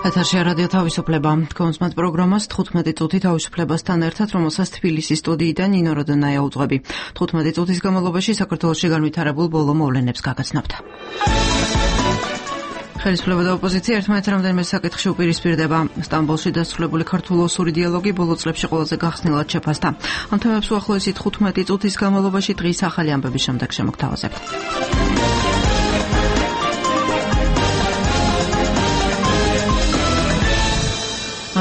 ეთერში რადიო თავისუფლება. კონსმათ პროგრამას 15 წუთი თავისუფლებასთან ერთად, რომელსაც თბილისის სტუდიიდან ნინო როდონაია უძღვები. 15 წუთის განმავლობაში საქართველოში განვითარებულ ბოლო მოვლენებს გაგაცნობთ. ხელისუფლება და ოპოზიცია ერთმანეთს რამდენიმე საკითხში უპირისპირდება. სტამბოლში დასრულებული ქართულ-ოსური დიალოგი ბოლო წლებში ყველაზე გახსნილად შეფასდა. ამ თემებს უახლოესი 15 წუთის განმავლობაში დღის ახალი ამბების შემდეგ შემოგთავაზებთ.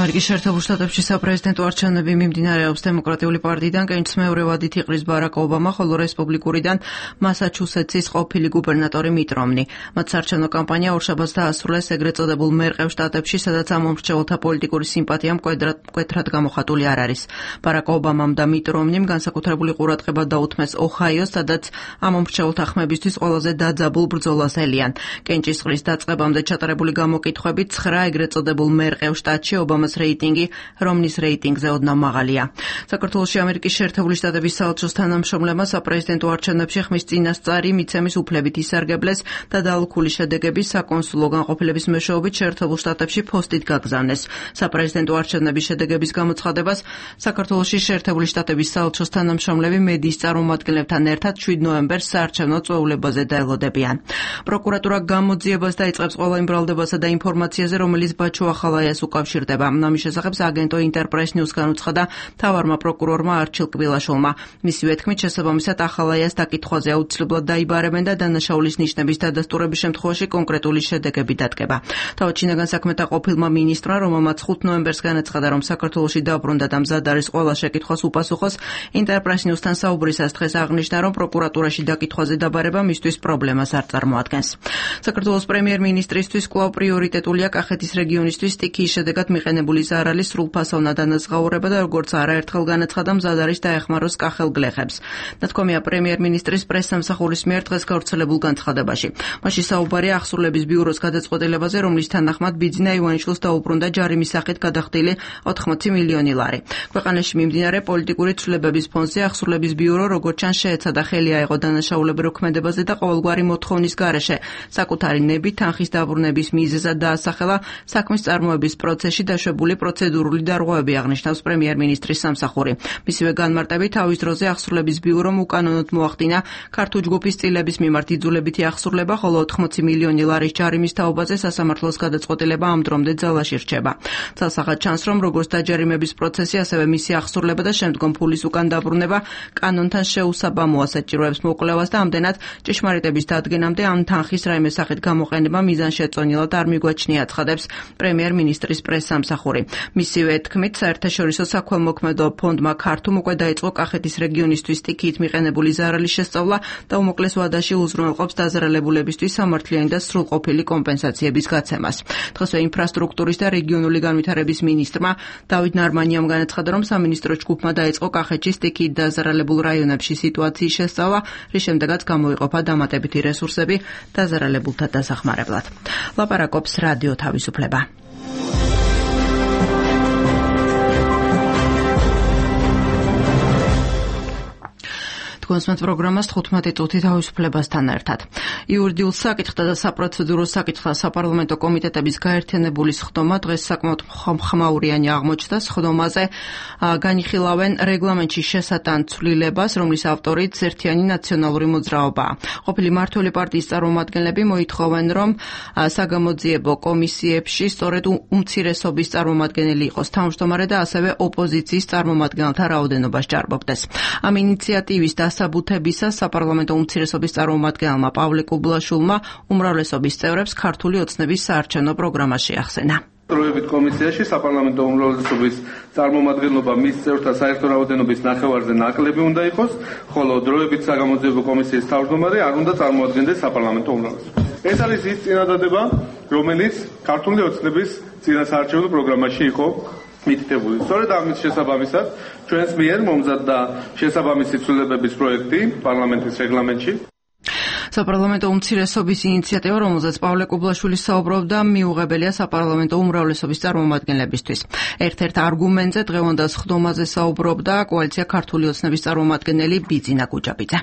ამერიკის შეერთებულ შტატებში საპრეზიდენტო არჩევნები მიმდინარეობს. დემოკრატიული პარტიიდან კენჭს მეორე ვადით იყრის ბარაკ ობამა, ხოლო რესპუბლიკურიდან მასაჩუსეტსის ყოფილი გუბერნატორი მიტ რომნი. მათ საარჩევნო კამპანია ორშაბათს დაასრულეს ეგრეთ წოდებულ მერყევ შტატებში, სადაც ამ მომრჩეველთა პოლიტიკური სიმპათია მკვეთრად გამოხატული არ არის. ბარაკ ობამამ და მიტ რომნიმ განსაკუთრებული ყურადღება დაუთმეს ოჰაიოს, სადაც ამ მომრჩეველთა ხმებისთვის ყველაზე დაძაბულ ბრძოლას ელიან. კენჭის ყრის დაწყებამდე ჩატარებული გამოკითხვებით 9 ეგრეთ წოდებულ მერყევ შტატში ობამას რეიტინგი რომნის რეიტინგზე ოდნავ მაღალია. საქართველოში ამერიკის შეერთებული შტატების საელჩოს თანამშრომლებმა საპრეზიდენტო არჩევნებში ხმის წინასწარი მიცემის უფლებით ისარგებლეს და დაალქული შედეგების საკონსულო განყოფილების მეშვეობით შეერთებულ შტატებში ფოსტით გაგზავნეს. საპრეზიდენტო არჩევნების შედეგების გამოცხადებას საქართველოში შეერთებული შტატების საელჩოს თანამშრომლები მედიის წარმომადგენლებთან ერთად 7 ნოემბერს საარჩევნო წვეულებაზე დაელოდებიან. პროკურატურა გამოძიებას დაიწყებს ყველა იმ ბრალდებასა და ინფორმაციაზე, რომელიც ბაჩო ახალაიას უკავშირდება. ამის შესახებ აგენტო ინტერპრეს ნიუს განუცხადა მთავარმა პროკურორმა არჩილ კბილაშვილმა. მისივე თქმით, შესაბამისად ახალაიას დაკითხვაზე აუცილებლად დაიბარებენ და დანაშაულის ნიშნების დადასტურების შემთხვევაში კონკრეტული შედეგები დადგება. თავად შინაგან საქმეთა ყოფილმა მინისტრმა, რომელმაც 5 ნოემბერს განაცხადა, რომ საქართველოში დაბრუნდა და მზად არის ყველა შეკითხვას უპასუხოს, ინტერპრეს ნიუსთან საუბრისას დღეს აღნიშნა, რომ პროკურატურაში დაკითხვაზე დაბარება მისთვის პრობლემას არ წარმოადგენს. საქართველოს პრემიერ-მინისტრისთვის კვლავ პრიორიტეტულია კახეთის რეგიონისთვის სტიქიის შედეგად მიყენებული ზარალის სრულფასოვნა დანაზღაურება და როგორც არაერთხელ განაცხადა, მზად არის დაეხმაროს კახელ გლეხებს. ნათქვამია პრემიერ-მინისტრის პრესსამსახურის მიერ დღეს გავრცელებულ განცხადებაში. მასში საუბარია აღსრულების ბიუროს გადაწყვეტილებაზე, რომლის თანახმად ბიძინა ივანიშვილს დაუბრუნდა ჯარიმის სახით გადახდილი 80 მილიონი ლარი. ქვეყანაში მიმდინარე პოლიტიკური ცვლილებების ფონზე აღსრულების ბიურო როგორც ჩანს შეეცადა ხელი აეღო დანაშაულებრივ ქმედებაზე და ყოველგვარი მოთხოვნის გარეშე საკუთარი ნებით თანხის დაბრუნების მიზეზად დაასახელა საქმის წარმოების პროცესში დაშვებული პროცედურული დარღვევები, აღნიშნავს პრემიერ-მინისტრის სამსახური. მისივე განმარტებით თავის დროზე აღსრულების ბიურომ უკანონოდ მოახდინა ქართულ ჯგუფის წილების მიმართ იძულებითი აღსრულება, ხოლო 80 მილიონი ლარის ჯარიმის თაობაზე სასამართლოს გადაწყვეტილება ამ დრომდე ძალაში რჩება. ცალსახად ჩანს, რომ როგორც დაჯარიმების პროცესი, ასევე მისი აღსრულება და შემდგომ ფულის უკან დაბრუნება კანონთან შეუსაბამოა, საჭიროებს მოკვლევას და ამდენად ჭეშმარიტების დადგენამდე ამ თანხის რაიმე სახით გამოყენება მიზანშეწონილად არ მიგვაჩნია, ცხადებს პრემიერ-მინისტრის პრესსამსახური. მისივე თქმით, საერთაშორისო საქველმოქმედო ფონდმა ქართუმ უკვე დაიწყო კახეთის რეგიონისთვის სტიქიით მიყენებული ზარალის შესწავლა და უმოკლეს ვადაში უზრუნველყოფს დაზარალებულებისთვის სამართლიანი და სრულყოფილი კომპენსაციების გაცემას. დღესვე ინფრასტრუქტურის და რეგიონული განვითარების მინისტრმა დავით ნარმანიამ განაცხადა, რომ სამინისტრო ჯგუფმა დაიწყო კახეთში სტიქიით დაზარალებულ რაიონებში სიტუაციის შესწავლა, რის შემდეგაც გამოიყოფა დამატებითი რესურსები დაზარალებულთა დასახმარებლად. ლაპარაკობს რადიო თავისუფლება. კონსმათ პროგრამას 15 წუთი თავისუფლებასთან ერთად. იურიდიულ საკითხთა და საპროცედურო საკითხთა საპარლამენტო კომიტეტების გაერთიანებული სხდომა დღეს საკმაოდ ხმაურიანი აღმოჩნდა. სხდომაზე განიხილავენ რეგლამენტში შესატან ცვლილებას, რომლის ავტორიც ერთიანი ნაციონალური მოძრაობაა. ყოფილი მმართველი პარტიის წარმომადგენლები მოითხოვენ, რომ საგამოძიებო კომისიებში სწორედ უმცირესობის წარმომადგენელი იყოს თავმჯდომარე და ასევე ოპოზიციის წარმომადგენელთა რაოდენობა სჭარბობდეს. ამ ინიციატივის დასაბუთებისას საპარლამენტო უმცირესობის წარმომადგენელმა პავლე კუბლაშვილმა უმრავლესობის წევრებს ქართული ოცნების საარჩევნო პროგრამა შეახსენა. დროებით კომისიაში საპარლამენტო უმრავლესობის წარმომადგენლობა მის წევრთა საერთო რაოდენობის ნახევარზე ნაკლები უნდა იყოს, ხოლო დროებით საგამოძიებო კომისიის თავმჯდომარე არ უნდა წარმოადგენდეს საპარლამენტო უმრავლესობას. ეს არის ის წინადადება, რომელიც ქართული ოცნების წინა საარჩევნო პროგრამაში იყო მითითებული. სწორედ ამის შესაბამისად ჩვენს მიერ მომზადდა შესაბამისი ცვლილებების პროექტი პარლამენტის რეგლამენტში. საპარლამენტო უმცირესობის ინიციატივა, რომელზეც პავლე კუბლაშვილი საუბრობდა, მიუღებელია საპარლამენტო უმრავლესობის წარმომადგენლებისთვის. ერთ-ერთ არგუმენტზე დღევანდელ სხდომაზე საუბრობდა კოალიცია ქართული ოცნების წარმომადგენელი ბიძინა გუჯაბიძე.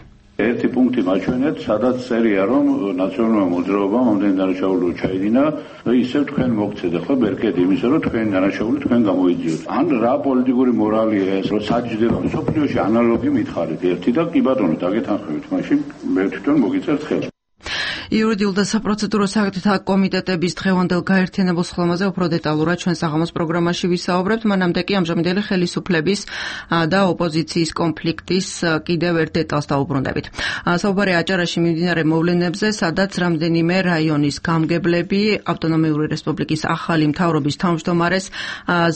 ერთი პუნქტი მაჩვენეთ, სადაც წერია, რომ ნაციონალურმა მოძრაობამ ამდენი დანაშაულო ჩაიდინა და ისევ თქვენ მოგცეთ ახლა ბერკეტი იმისა, რომ თქვენი დანაშაული თქვენ გამოიძიოთ. ან რა პოლიტიკური მორალია ეს, რომ საჯდება სოფლიოში ანალოგი მითხარით ერთი და კი ბატონო დაგეთანხმებით, მაშინ მე თვითონ მოგიწერთ ხელი. იურიდიულ და საპროცედურო საკითხთა კომიტეტების დღევანდელ გაერთიანებულ სხდომაზე უფრო დეტალურად ჩვენ საღამოს პროგრამაში ვისაუბრებთ. მანამდე კი ამჟამინდელი ხელისუფლების და ოპოზიციის კონფლიქტის კიდევ ერთ დეტალს დავუბრუნდებით. საუბარია აჭარაში მიმდინარე მოვლენებზე, სადაც რამდენიმე რაიონის გამგებლები ავტონომიური რესპუბლიკის ახალი მთავრობის თავმჯდომარეს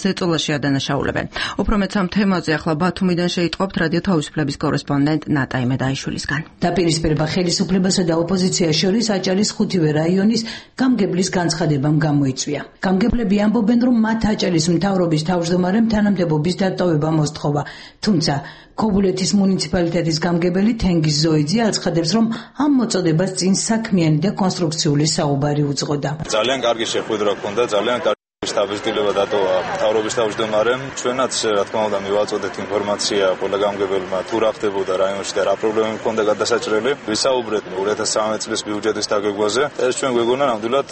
ზეწოლაში ადანაშაულებენ. უფრო მეც ამ თემაზე ახლა ბათუმიდან შეიტყობთ რადიო თავისუფლების კორესპონდენტ ნატა იმედაიშვილისგან. დაპირისპირება ხელისუფლებასა და ოპოზიციას შორის აჭარის 5-ვე რაიონის გამგებლის განცხადებამ გამოიწვია. გამგებლები ამბობენ, რომ მათ აჭარის მთავრობის თავმჯდომარემ თანამდებობის დატოვება მოსთხოვა, თუმცა ქობულეთის მუნიციპალიტეტის გამგებელი თენგიზ ზოიძე აცხადებს, რომ ამ მოწოდებას წინ საქმიანი და კონსტრუქციული საუბარი უძღოდა. ძალიან კარგი შეხვედრა ჰქონდა, ძალიან კარგი შტაბის-დილება დატოვა მთავრობის თავმჯდომარემ. ჩვენაც რა თქმა უნდა მივაწოდეთ ინფორმაცია ყველა გამგებელმა თუ რა ხდებოდა რაიონში და რა პრობლემები ჰქონდა გადასაჭრელი. ვისაუბრეთ 2013 წლის ბიუჯეტის დაგეგმვაზე. ეს ჩვენ გვეგონა ნამდვილად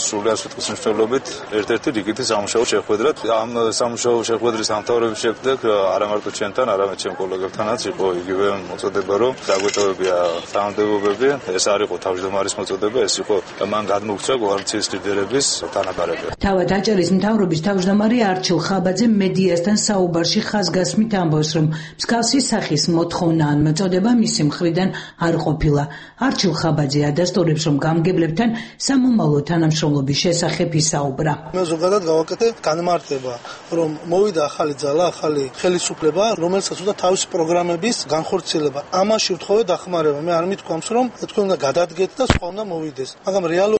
სრულიად სიტყვის მნიშვნელობით ერთ-ერთი რიგითი სამუშაო შეხვედრა. ამ სამუშაო შეხვედრის დამთავრების შემდეგ არა მარტო ჩვენთან, არამედ ჩვენ კოლეგებთანაც იყო იგივე მოწოდება, რომ დაგვეტოვებია თანამდებობები. ეს არ იყო თავმჯდომარის მოწოდება, ეს იყო მან გადმოგცვა კოალიციის ლიდერების თანაბარები. თავად აჭარის მთავრობის თავმჯდომარე არჩილ ხაბაძე მედიასთან საუბარში ხაზგასმით ამბობს, რომ მსგავსი სახის მოთხოვნა ან მოწოდება მისი მხრიდან არ ყოფილა. არჩილ ხაბაძე ადასტურებს, რომ გამგებლებთან სამომავლო თანამშრომლობის შესახებ ისაუბრა. მე ზოგადად გავაკეთე განმარტება, რომ მოვიდა ახალი ძალა, ახალი ხელისუფლება, რომელსაც უნდა თავისი პროგრამების განხორციელება. ამაში ვთხოვე დახმარება. მე არ მithქვამს, რომ თქვენ უნდა გადადგეთ და სხვა უნდა მოვიდეს. მაგრამ რეალობა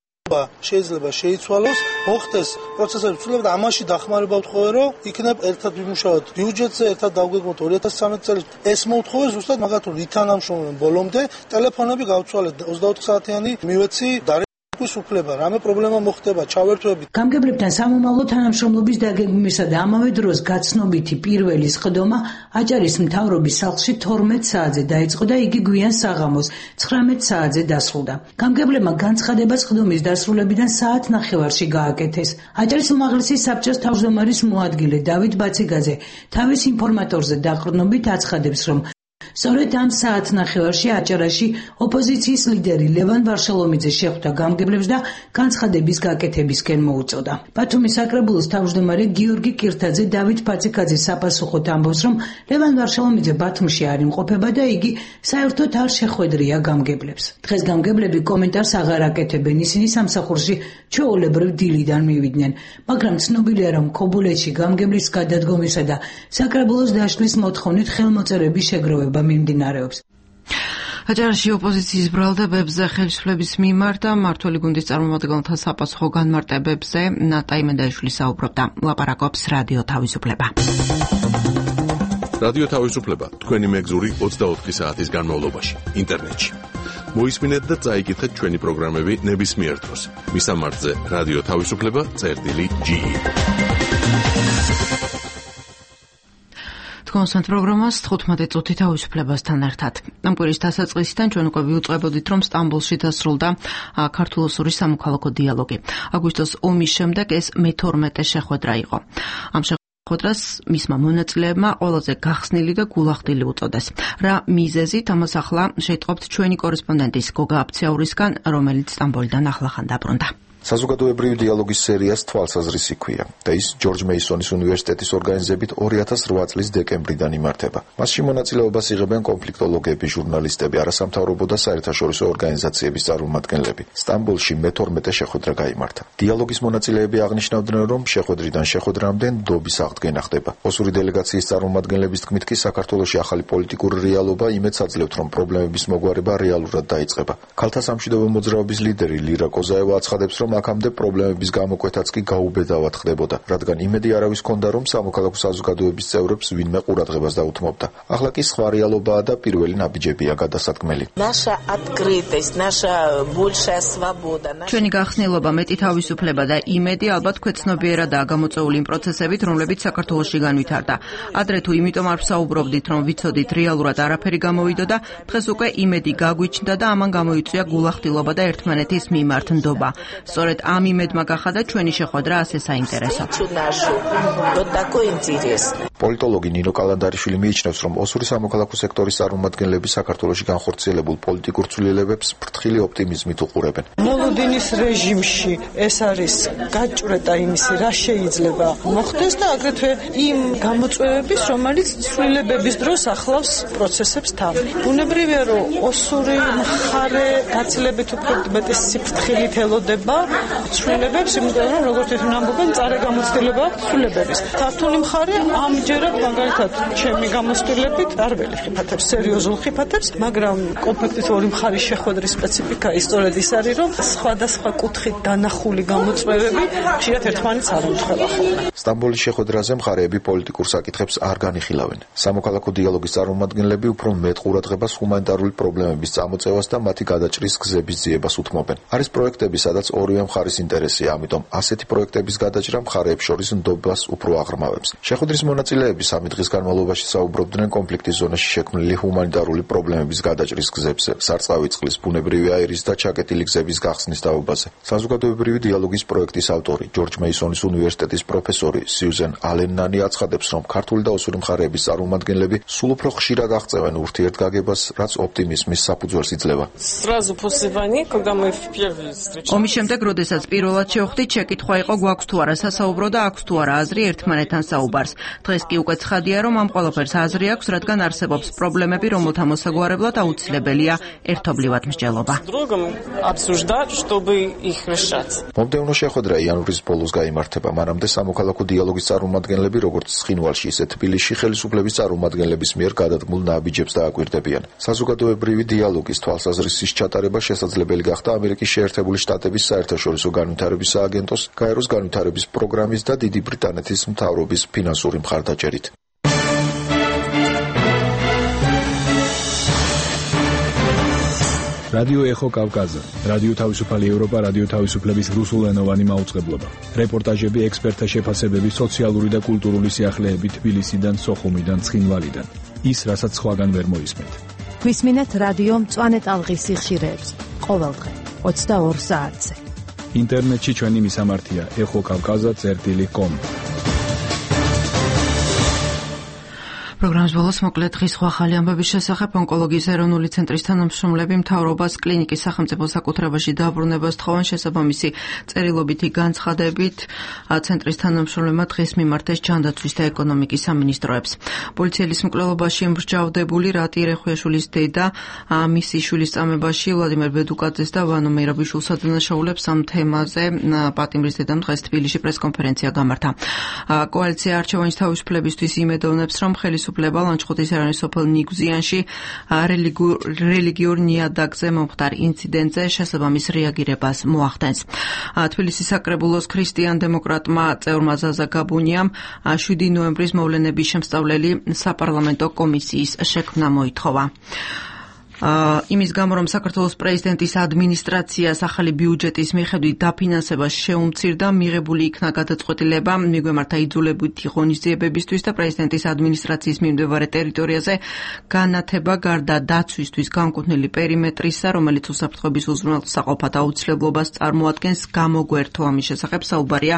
შეიძლება შეიცვალოს, მოხდეს პროცესების ცვლილება და ამაში დახმარება ვთხოვე, რომ იქნებ ერთად ვიმუშაოთ ბიუჯეტზე, ერთად დავგვეგმოთ 2013 წელს. ეს მოვთხოვე ზუსტად მაგათ, რომ ვითანამშრომლობენ ბოლომდე, ტელეფონები გავცვალეთ 24 საათიანი მივეცი და უფლება, რამე პრობლემა მოხდება, ჩავერთვებით. გამგებლებთან სამომავლო თანამშრომლობის დაგეგმვისა და ამავე დროს გაცნობითი პირველი სხდომა აჭარის მთავრობის სახლში 12 საათზე დაიწყო და იგი გვიან საღამოს 19 საათზე დასრულდა. გამგებლებმა განცხადება სხდომის დასრულებიდან საათნახევარში გააკეთეს. აჭარის უმაღლესი საბჭოს თავმჯდომარის მოადგილე დავით ბაციგაძე თავის ინფორმატორზე დაყრდნობით აცხადებს, რომ სწორედ ამ საათნახევარში აჭარაში ოპოზიციის ლიდერი ლევან ვარშალომიძე შეხვდა გამგებლებს და განცხადების გაკეთებისკენ მოუწოდა. ბათუმის საკრებულოს თავმჯდომარე გიორგი კირთაძე დავით ბაციგაძის საპასუხოდ ამბობს, რომ ლევან ვარშალომიძე ბათუმში არ იმყოფება და იგი საერთოდ არ შეხვედრია გამგებლებს. დღეს გამგებლები კომენტარს აღარ აკეთებენ, ისინი სამსახურში ჩვეულებრივ დილიდან მივიდნენ, მაგრამ ცნობილია, რომ ქობულეთში გამგებლის გადადგომისა და საკრებულოს დაშლის მოთხოვნით ხელმოწერების შეგროვება მიმდინარეობს. აჭარაში ოპოზიციის ბრალდებებზე ხელისუფლების მიმართ და მმართველი გუნდის წარმომადგენელთა საპასუხო განმარტებებზე ნატა იმედაიშვილი საუბრობდა. ლაპარაკობს რადიო თავისუფლება. რადიო თავისუფლება თქვენი მეგზური 24 საათის განმავლობაში ინტერნეტში. მოისმინეთ და წაიკითხეთ ჩვენი პროგრამები ნებისმიერ დროს. მისამართზე რადიო თავისუფლება.ge. კონსტანტ პროგრამას 15 წუთი თავისუფლებასთან ერთად. ამ კვირის დასაწყისიდან ჩვენ უკვე ვიუწყებოდით, რომ სტამბოლში დასრულდა ქართულ-ოსური სამოქალაქო დიალოგი. აგვისტოს ომის შემდეგ ეს მე-12 შეხვედრა იყო. ამ შეხვედრას მისმა მონაწილეებმა ყველაზე გახსნილი და გულახდილი უწოდეს. რა მიზეზით, ამას ახლა შეიტყობთ ჩვენი კორესპონდენტის გოგა აფციაურისგან, რომელიც სტამბოლიდან ახლახან დაბრუნდა. საზოგადოებრივი დიალოგის სერიას თვალსაზრისი ჰქვია და ის ჯორჯ მეისონის უნივერსიტეტის ორგანიზებით 2008 წლის დეკემბრიდან იმართება. მასში მონაწილეობას იღებენ კონფლიქტოლოგები, ჟურნალისტები, არასამთავრობო და საერთაშორისო ორგანიზაციების წარმომადგენლები. სტამბოლში მე-12 შეხვედრა გაიმართა. დიალოგის მონაწილეები აღნიშნავდნენ, რომ შეხვედრიდან შეხვედრამდე ნდობის აღდგენა ხდება. ოსური დელეგაციის წარმომადგენლების თქმით კი საქართველოში ახალი პოლიტიკური რეალობა იმედს აძლევთ, რომ პრობლემების მოგვარება რეალურად დაიწყება. ქალთა სამშვიდობო მოძრაობის ლიდერი ლირა კოზაევა აცხადებს, რომ რომ აქამდე პრობლემების გამოკვეთაც კი გაუბედავად ხდებოდა, რადგან იმედი არავის ჰქონდა, რომ სამოქალაქო საზოგადოების წევრებს ვინმე ყურადღებას დაუთმობდა. ახლა კი სხვა რეალობაა და პირველი ნაბიჯებია გადასადგმელი. ჩვენი გახსნილობა, მეტი თავისუფლება და იმედი ალბათ ქვეცნობიერადაა გამოწვეული იმ პროცესებით, რომლებიც საქართველოში განვითარდა. ადრე თუ იმიტომ არ ვსაუბრობდით, რომ ვიცოდით რეალურად არაფერი გამოვიდოდა, დღეს უკვე იმედი გაგვიჩნდა და ამან გამოიწვია გულახდილობა და ერთმანეთის მიმართ ნდობა. სწორედ ამ იმედმა გახადა ჩვენი შეხვედრა ასე საინტერესო. პოლიტოლოგი ნინო კალანდარიშვილი მიიჩნევს, რომ ოსური სამოქალაქო სექტორის წარმომადგენლები საქართველოში განხორციელებულ პოლიტიკურ ცვლილებებს ფრთხილი ოპტიმიზმით უყურებენ. მოლოდინის რეჟიმში ეს არის გაჭრედა იმისი, რა შეიძლება მოხდეს და აგრეთვე იმ გამოწვევების, რომელიც ცვლილებების დროს ახლავს პროცესებს თან. ბუნებრივია, რომ ოსური მხარე გაცილებით უფრო მეტი სიფრთხილით ელოდება ცვლილებებს, იმიტომ რომ როგორც ისინი ამბობენ, წარე გამოცდილება აქვს ცვლილებების. ქართული მხარე ამჯერად მაგალითად ჩემი გამოცდილებით არ ველიხიფათებს სერიოზულ ხიფათებს, მაგრამ კონფლიქტის ორი მხარის შეხვედრის სპეციფიკა ისტორიად ის არის, რომ სხვადასხვა კუთხით დანახული გამოწვევები ხშირად ერთმანეთს არ ემთხვევა ხოლმე. სტამბოლის შეხვედრაზე მხარეები პოლიტიკურ საკითხებს არ განიხილავენ. სამოქალაქო დიალოგის წარმომადგენლები უფრო მეტ ყურადღებას ჰუმანიტარული პრობლემების წამოწევას და მათი გადაჭრის გზების ძიებას უთმობენ. არის პროექტები, სადაც ორივე მხარის ინტერესია, ამიტომ ასეთი პროექტების გადაჭრა მხარეებს შორის ნდობას უფრო აღრმავებს. შეხვედრის მონაწილეები 3 დღის განმავლობაში საუბრობდნენ კონფლიქტის ზონაში შექმნილი ჰუმანიტარული პრობლემების გადაჭრის გზებზე, სარწყავი წყლის, ბუნებრივი აირის და ჩაკეტილი გზების გახსნის დაობაზე. საზოგადოებრივი დიალოგის პროექტის ავტორი, ჯორჯ მეისონის უნივერსიტეტის პროფესორი სიუზენ ალენანი აცხადებს, რომ ქართული და ოსური მხარეების წარმომადგენლები სულ უფრო ხშირად აღწევენ ურთიერთგაგებას, რაც ოპტიმიზმის საფუძველს იძლევა. ომის შემდეგ, როდესაც პირველად შევხვდით, შეკითხვა იყო, გვაქვს თუ არა სასაუბრო და აქვს თუ არა აზრი ერთმანეთთან საუბარს. დღეს კი უკვე ცხადია, რომ ამ ყველაფერს აზრი აქვს, რადგან არსებობს პრობლემები, რომელთა მოსაგვარებლად აუცილებელია ერთობლივად მსჯელობა. მომდევნო შეხვედრა იანვრის ბოლოს გაიმართება. მანამდე სამოქალაქო დიალოგის წარმომადგენლები, როგორც ცხინვალში, ისე თბილისში ხელისუფლების წარმომადგენლების მიერ გადადგმულ ნაბიჯებს დააკვირდებიან. საზოგადოებრივი დიალოგის თვალსაზრისის ჩატარება შესაძლებელი გახდა ამერიკის შეერთებული შტატების საერთაშორისო განვითარების სააგენტოს, გაეროს განვითარების პროგრამის და დიდი ბრიტანეთის მთავრობის ფინანსური მხარდაჭერით. რადიო ეხო კავკაზა, რადიო თავისუფალი ევროპა, რადიო თავისუფლების რუსულენოვანი მაუწყებლობა. რეპორტაჟები, ექსპერტთა შეფასებები, სოციალური და კულტურული სიახლეები თბილისიდან, სოხუმიდან, ცხინვალიდან. ის, რასაც სხვაგან ვერ მოისმენთ. გვისმინეთ რადიო მწვანე ტალღის სიხშირეებს ყოველდღე 22 საათზე. ინტერნეტში ჩვენი მისამართია ეხოკავკაზა.com. პროგრამის ბოლოს მოკლედ დღის სხვა ახალი ამბების შესახებ ონკოლოგიის ეროვნული ცენტრის თანამშრომლები მთავრობას კლინიკის სახელმწიფო საკუთრებაში დაბრუნებას თხოვენ. შესაბამისი წერილობითი განცხადებით ცენტრის თანამშრომლებმა დღეს მიმართეს ჯანდაცვის და ეკონომიკის სამინისტროებს. პოლიციელის მკვლელობაში მსჯავრდებული რატი ერეხვიაშვილის დედა მისი შვილის წამებაში ვლადიმერ ბედუკაძეს და ვანო მეირაბიშვილს ადანაშაულებს ამ თემაზე პატიმრის დედამ დღეს თბილისში პრესკონფერენცია გამართა. კოალიცია არჩევანის თავისუფლებისთვის იმედოვნებს, რომ ხელისუფლება ლანჩხუთის ეროვნულ სოფელ ნიგზიანში რელიგიურ ნიადაგზე მომხდარ ინციდენტზე შესაბამის რეაგირებას მოახდენს. თბილისის საკრებულოს ქრისტიან-დემოკრატმა წევრმა ზაზა გაბუნიამ 7 ნოემბრის მოვლენების შემსწავლელი საპარლამენტო კომისიის შექმნა მოითხოვა. იმის გამო, რომ საქართველოს პრეზიდენტის ადმინისტრაციას ახალი ბიუჯეტის მიხედვით დაფინანსებას შეუმცირდა, მიღებული იქნა გადაწყვეტილება მიგვემართა იძულებითი ღონისძიებებისთვის და პრეზიდენტის ადმინისტრაციის მიმდებარე ტერიტორიაზე განათება გარდა დაცვისთვის განკუთვნილი პერიმეტრისა, რომელიც უსაფრთხოების უზრუნველსაყოფად აუცილებლობას წარმოადგენს, გამოგვერთო. ამის შესახებ საუბარია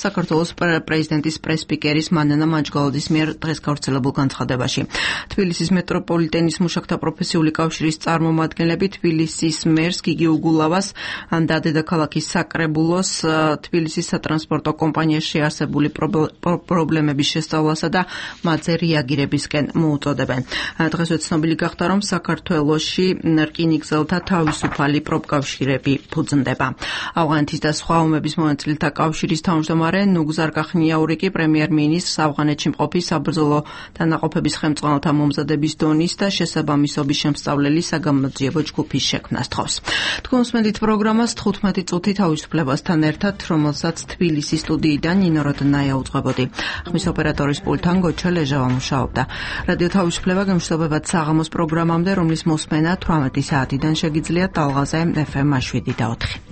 საქართველოს პრეზიდენტის პრესსპიკერის მანანა მაჯგალაძის მიერ დღეს გავრცელებულ განცხადებაში. თბილისის მეტროპოლიტენის მუშაკთა პროფესიული კავშირის წარმომადგენლები თბილისის მერს გიგი უგულავას და დედაქალაქის საკრებულოს თბილისის სატრანსპორტო კომპანიაში არსებული პრობლემების შესწავლასა და მათზე რეაგირებისკენ მოუწოდებენ. დღესვე ცნობილი გახდა, რომ საქართველოში რკინიგზელთა თავისუფალი პროფკავშირები ფუძნდება. ავღანეთის და სხვა ომების მონაწილეთა კავშირის თავმჯდომარე ნუგზარ კახნიაური კი პრემიერ-მინისტრს ავღანეთში მყოფი საბრძოლო დანაყოფების ხელმძღვანელთა მომზადების დონის და შესაბამისობის შემსწავლელი პირველი საგამოძიებო ჯგუფის შექმნას თხოვს. თქვენ უსმენთ პროგრამას 15 წუთი თავისუფლებასთან ერთად, რომელსაც თბილისის სტუდიიდან ნინო როდნაია უძღვებოდი. ხმის ოპერატორის პულტთან გოჩა ლეჟავა მუშაობდა. რადიო თავისუფლება გემშვიდობებად საღამოს პროგრამამდე, რომლის მოსმენა 18 საათიდან შეგიძლიათ ტალღაზე FM 7 და 4.